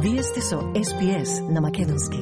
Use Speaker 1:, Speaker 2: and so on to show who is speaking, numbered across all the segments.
Speaker 1: Вие сте со SPS на македонски.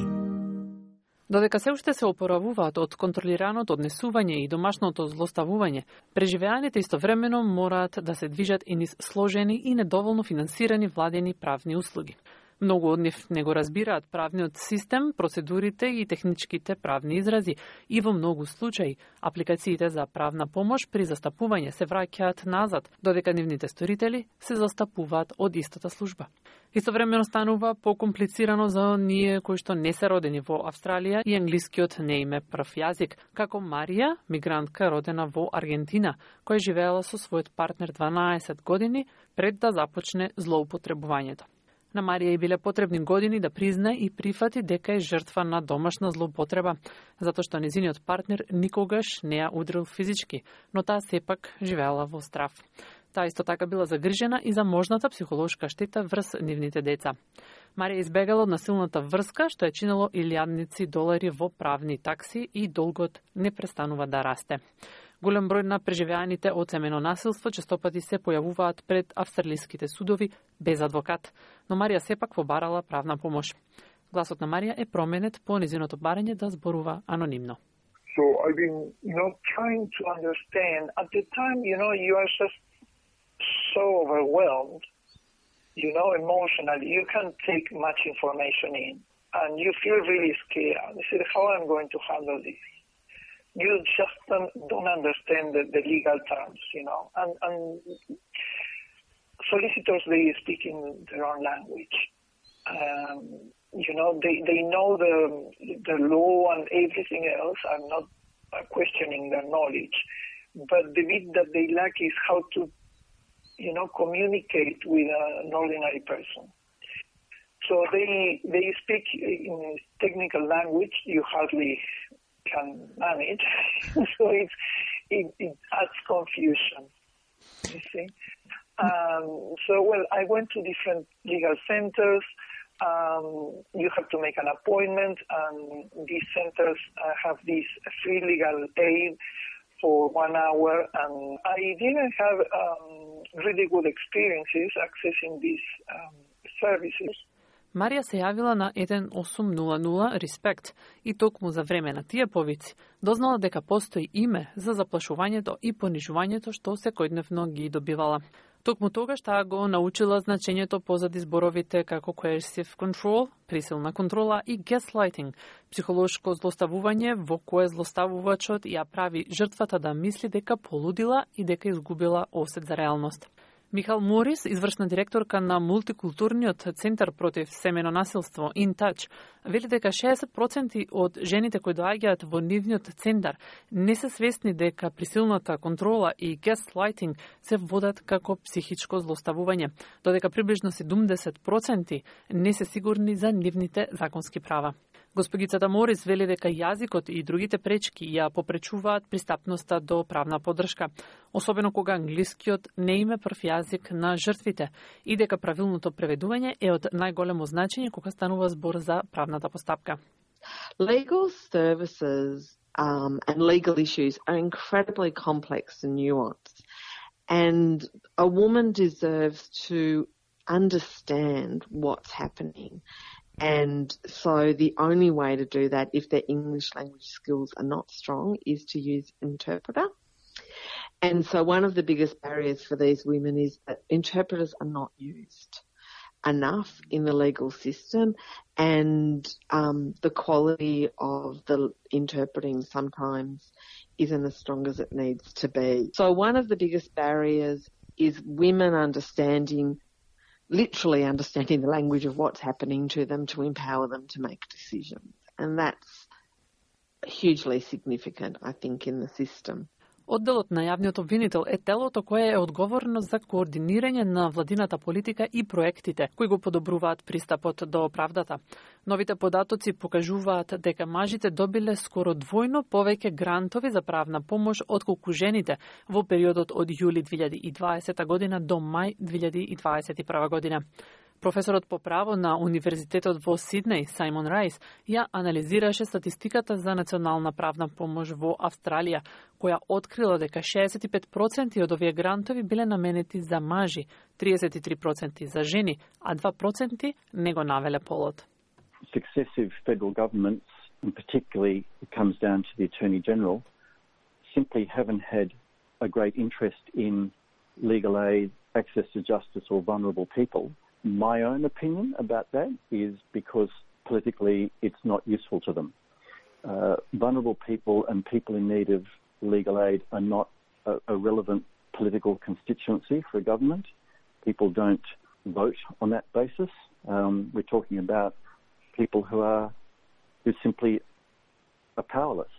Speaker 2: Додека се уште се опоравуваат од контролираното однесување и домашното злоставување, преживеаните истовремено мораат да се движат и низ сложени и недоволно финансирани владени правни услуги. Многу од нив не го разбираат правниот систем, процедурите и техничките правни изрази и во многу случаи апликациите за правна помош при застапување се враќаат назад, додека нивните сторители се застапуваат од истата служба. Истовремено станува покомплицирано за оние кои што не се родени во Австралија и англискиот не им е прв јазик, како Марија, мигрантка родена во Аргентина, која живеела со својот партнер 12 години пред да започне злоупотребувањето. На Марија и биле потребни години да признае и прифати дека е жртва на домашна злоупотреба, затоа што незиниот партнер никогаш не ја удрил физички, но таа сепак живеела во страв. Таа исто така била загрижена и за можната психолошка штета врз нивните деца. Марија избегала од насилната врска, што ја чинело илјадници долари во правни такси и долгот не престанува да расте. Голем број на преживеаните од семено насилство честопати се појавуваат пред австралиските судови без адвокат, но Марија сепак побарала правна помош. Гласот на Марија е променет по незиното барање да зборува анонимно.
Speaker 3: So I've been, trying to understand. At the time, you are just so overwhelmed, emotionally. You can't take much information in, and you feel really scared. You say, how I'm going to handle this? You just don't understand the legal terms, and solicitors, they speak in their own language. They know the law and everything else. I'm not questioning their knowledge, but the bit that they lack is how to, communicate with an ordinary person. So they speak in technical language. You hardly can manage, so it adds confusion, you see. I went to different legal centers. You have to make an appointment, and these centers have this free legal aid for 1 hour, and I didn't have really good experiences accessing these services.
Speaker 2: Марија се јавила на 1800 Респект и токму за време на тие повици дознала дека постои име за заплашувањето и понижувањето што секојдневно ги добивала. Токму тогаш таа го научила значењето позади зборовите како coercive control, присилна контрола и gaslighting, психолошко злоставување во кое злоставувачот ја прави жртвата да мисли дека полудила и дека изгубила осет за реалност. Михал Морис, извршна директорка на мултикултурниот центар против семено насилство In Touch, вели дека 60% од жените кои доаѓаат во нивниот центар не се свесни дека присилната контрола и gaslighting се водат како психичко злоставување, додека приближно 70% не се сигурни за нивните законски права. Госпогицата Морис вели дека јазикот и другите пречки ја попречуваат пристапноста до правна поддршка, особено кога англискиот не им е прв јазик на жртвите и дека правилното преведување е од најголемо значење кога станува збор за правната постапка.
Speaker 4: Legal services and legal issues are incredibly complex and nuanced, and a woman deserves to understand what's happening. And so the only way to do that, if their English language skills are not strong, is to use interpreter. And so one of the biggest barriers for these women is that interpreters are not used enough in the legal system, and the quality of the interpreting sometimes isn't as strong as it needs to be. So one of the biggest barriers is women literally understanding the language of what's happening to them to empower them to make decisions. And that's hugely significant, I think, in the system.
Speaker 2: Одделот на јавниот обвинител е телото кое е одговорно за координирање на владината политика и проектите кои го подобруваат пристапот до правдата. Новите податоци покажуваат дека мажите добиле скоро двојно повеќе грантови за правна помош отколку жените во периодот од јули 2020 година до мај 2021 година. Професорот по право на Универзитетот во Сиднеј, Сајмон Рајс, ја анализираше статистиката за национална правна помош во Австралија, која открила дека 65% од овие грантови биле наменети за мажи, 33% за жени, а 2% не го навеле полот.
Speaker 5: Successive federal governments, and particularly it comes down to the Attorney General, simply haven't had a great interest in legal aid, access to justice or vulnerable people. My own opinion about that is because politically it's not useful to them. Vulnerable people and people in need of legal aid are not a relevant political constituency for a government. People don't vote on that basis. We're talking about people who simply are powerless,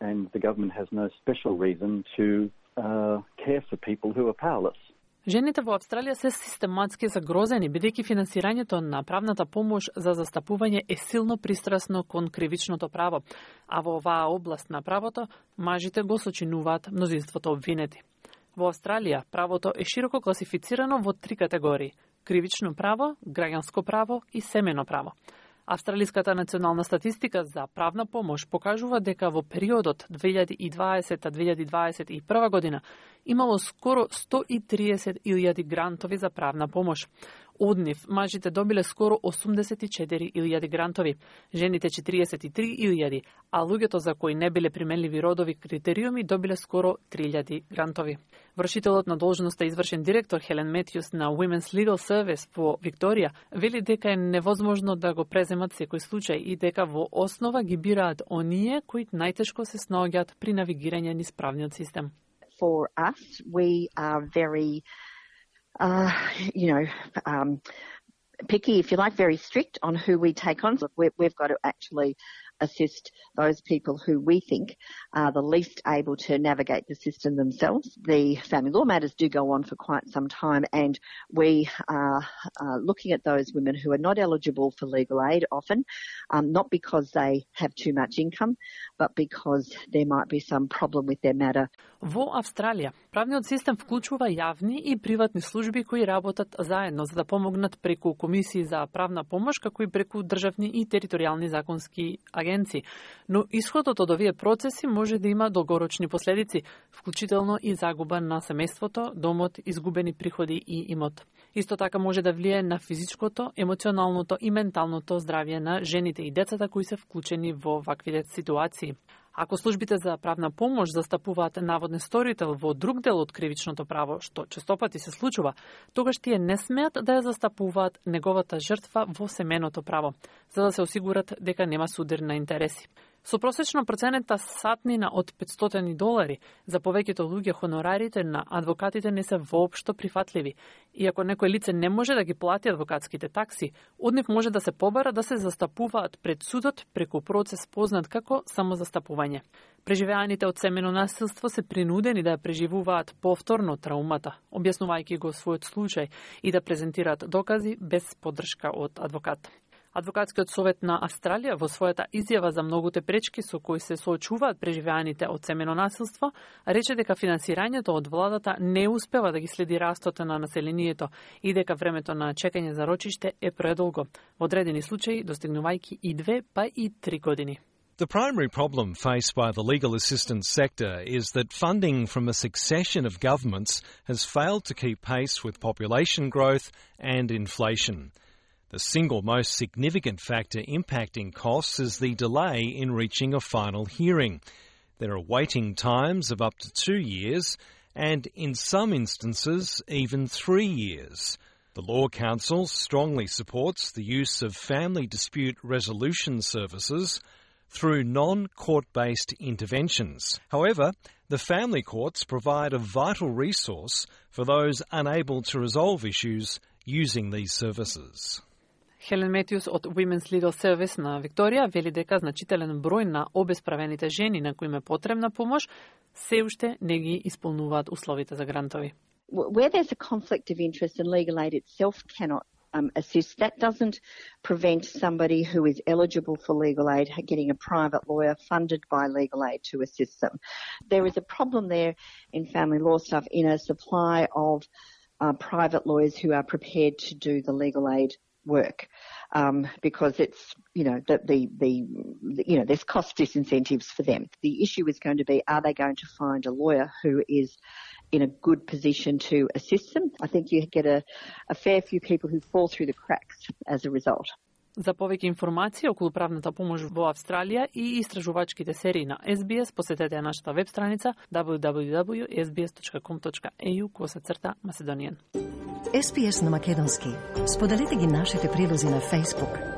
Speaker 5: and the government has no special reason to care for people who are powerless.
Speaker 2: Жените во Австралија се систематски загрозени, бидејќи финансирањето на правната помош за застапување е силно пристрасно кон кривичното право, а во оваа област на правото, мажите го сочинуваат мнозинството обвинети. Во Австралија, правото е широко класифицирано во 3 категории – кривично право, граѓанско право и семејно право. Австралиската национална статистика за правна помош покажува дека во периодот 2020-2021 година имало скоро 130.000 грантови за правна помош. Од нив, мажите добиле скоро 84.000 грантови, жените 43.000, а луѓето за кои не биле применливи родови критериуми добиле скоро 3.000 грантови. Вршителот на должноста извршен директор Хелен Метјус на Women's Legal Service во Викторија вели дека е невозможно да го преземат секој случај и дека во основа ги бираат оние кои најтешко се снаоѓаат при навигирање низ правниот систем.
Speaker 6: For us, we are very picky, if you like, very strict on who we take on. Look, we've got to actually assist those people who we think are the least able to navigate the system themselves. The family law matters do go on for quite some time, and we are looking at those women who are not eligible for legal aid often, not because they have too much income, but because there might be some problem with their matter.
Speaker 2: Во Австралија, правниот систем вклучува јавни и приватни служби кои работат заедно за да помогнат преку комисии за правна помош, како и преку државни и територијални законски агенции. Но исходот од овие процеси може да има долгорочни последици, вклучително и загуба на семејството, домот, изгубени приходи и имот. Исто така може да влие на физичкото, емоционалното и менталното здравје на жените и децата кои се вклучени во ваквите ситуации. Ако службите за правна помош застапуваат наводен сторител во друг дел од кривичното право, што честопати се случува, тогаш тие не смеат да ја застапуваат неговата жртва во семејното право, за да се осигурат дека нема судир на интереси. Со просечно проценета сатнина од $500, за повеќето луѓе хонорарите на адвокатите не се воопшто прифатливи. И ако некој лице не може да ги плати адвокатските такси, од нив може да се побара да се застапуваат пред судот преку процес познат како самозастапување. Преживеаните од семено насилство се принудени да ја преживуваат повторно траумата, објаснувајќи го својот случај и да презентираат докази без поддршка од адвокат. Адвокатскиот совет на Австралија во својата изјава за многуте пречки со кои се соочуваат преживеаните од семено насилство, рече дека финансирањето од владата не успева да ги следи растот на населението и дека времето на чекање за рочиште е предолго, во одредени случаи достигнувајќи и 2 па и 3 години.
Speaker 7: The primary problem faced by the legal assistance sector is that funding from a succession of governments has failed to keep pace with population growth and inflation. The single most significant factor impacting costs is the delay in reaching a final hearing. There are waiting times of up to 2 years and, in some instances, even 3 years. The Law Council strongly supports the use of family dispute resolution services through non-court-based interventions. However, the family courts provide a vital resource for those unable to resolve issues using these services.
Speaker 2: Хелен Метјус од Women's Legal Service на Викторија вели дека значителен број на обесправените жени на кои им е потребна помош се уште не ги исполнуваат условите за грантови.
Speaker 6: Where there's a conflict of interest and legal aid itself cannot assist, that doesn't prevent somebody who is eligible for legal aid getting a private lawyer funded by legal aid to assist them. There is a problem there in family law stuff in a supply of private lawyers who are prepared to do the legal aid work, because it's, there's cost disincentives for them. The issue is going to be, are they going to find a lawyer who is in a good position to assist them? I think you get a fair few people who fall through the cracks as a result.
Speaker 2: За повеќе информации околу правната помош во Австралија и истражувачките серии на SBS, посетете нашата веб страница www.sbs.com.au/Macedonian.
Speaker 1: SBS на македонски. Споделете ги нашите прилози на Facebook,